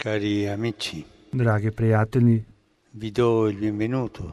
Cari amici, Dragi prijatelji, vi do il benvenuto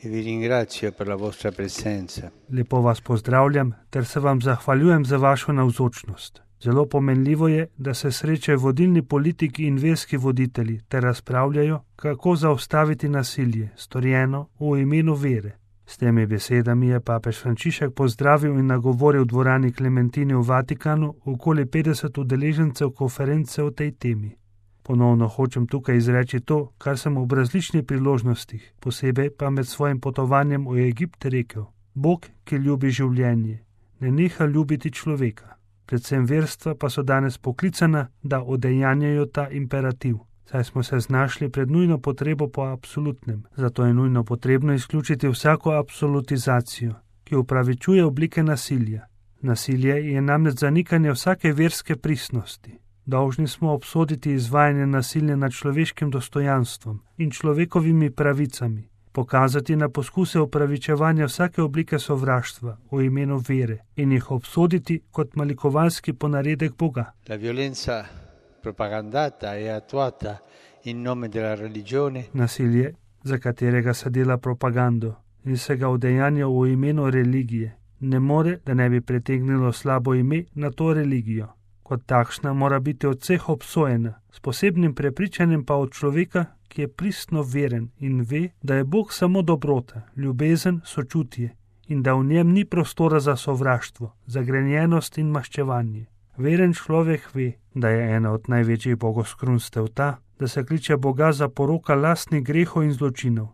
e vi ringrazio per la vostra presenza. lepo vas pozdravljam ter se vam zahvaljujem za vašo navzočnost. Zelo pomenljivo je, da se srečajo vodilni politiki in verski voditelji ter razpravljajo, kako zaustaviti nasilje, storjeno v imenu vere. S temi besedami je papež Frančišek pozdravil in nagovoril v dvorani Klementini v Vatikanu okoli 50 udeležencev konference o tej temi. Ponovno hočem tukaj izreči to, kar sem ob različnih priložnostih, posebej pa med svojim potovanjem v Egipt rekel. Bog, ki ljubi življenje, ne neha ljubiti človeka. Predvsem verstva pa so danes poklicana, da udejanjajo ta imperativ. Saj smo se znašli pred nujno potrebo po absolutnem, zato je nujno potrebno izključiti vsako absolutizacijo, ki upravičuje oblike nasilja. Nasilje je namreč zanikanje vsake verske pristnosti. Dolžni smo obsoditi izvajanje nasilja nad človeškim dostojanstvom in človekovimi pravicami, pokazati na poskuse upravičevanja vsake oblike sovraštva v imenu vere in jih obsoditi kot malikovalski ponaredek Boga. La violenza propagandata e attuata in nome della religione Nasilje, za katerega se dela propagando in se ga udejanja v imenu religije, ne more, da ne bi pritegnilo slabo ime na to religijo. Kot takšna mora biti od vseh obsojena, s posebnim prepričanjem pa od človeka, ki je pristno veren in ve, da je Bog samo dobrota, ljubezen, sočutje in da v njem ni prostora za sovraštvo, zagrenjenost in maščevanje. Veren človek ve, da je ena od največjih bogoskrunstev ta, da se kliče Boga za poroka lastnih grehov in zločinov.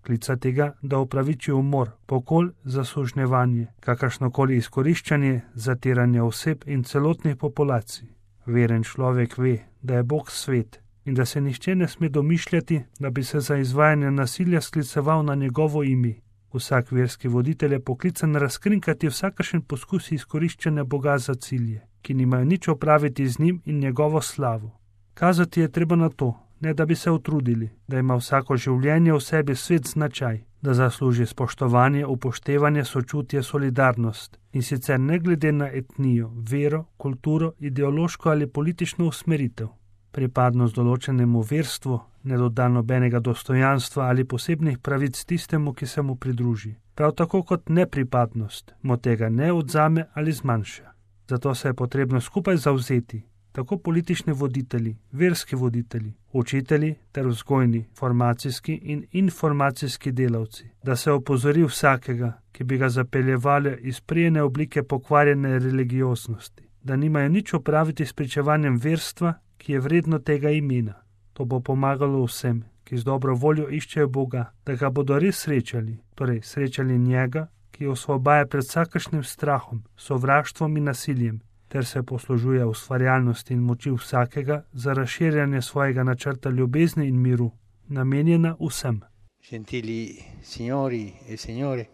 Klica tega, da upraviči umor, pokol, zasužnjevanje, kakršnokoli izkoriščanje, zatiranje oseb in celotnih populacij. Veren človek ve, da je Bog svet in da se nihče ne sme domišljati, da bi se za izvajanje nasilja skliceval na njegovo ime. Vsak verski voditelj je poklican razkrinkati vsakršen poskus izkoriščanja Boga za cilje, ki nimajo nič opraviti z njim in njegovo slavo. Kazati je treba na to, ne da bi se utrudili, da ima vsako življenje v sebi svet značaj, da zasluži spoštovanje, upoštevanje, sočutje, solidarnost in sicer ne glede na etnijo, vero, kulturo, ideološko ali politično usmeritev. Pripadnost določenemu verstvu ne doda nobenega dostojanstva ali posebnih pravic tistemu, ki se mu pridruži. Prav tako kot nepripadnost mu tega ne odzame ali zmanjša. Zato se je potrebno skupaj zavzeti, tako politični voditelji, verski voditelji, učitelji ter vzgojni, formacijski in informacijski delavci, da se opozori vsakega, ki bi ga zapeljevali iz prijene oblike pokvarjene religioznosti, da nimajo nič opraviti s pričevanjem verstva, ki je vredno tega imena. To bo pomagalo vsem, ki z dobro voljo iščejo Boga, da ga bodo res srečali, torej srečali njega, ki osvobaja pred vsakršnim strahom, sovraštvom in nasiljem, ter se poslužuje ustvarjalnosti in moči vsakega za razširjanje svojega načrta ljubezni in miru, namenjena vsem. Gentili signori e signore,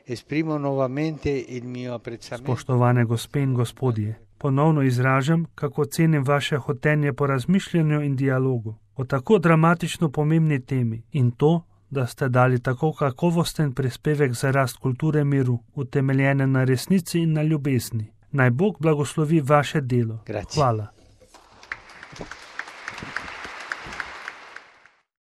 esprimo nuovamente il mio apprezzamento. Spoštovane gospe in gospodje, ponovno izražam, kako cenim vaše hotenje po razmišljanju in dialogu o tako dramatično pomembni temi in to, da ste dali tako kakovosten prispevek za rast kulture miru, utemeljene na resnici in na ljubezni. Naj Bog blagoslovi vaše delo. Grazie. Hvala.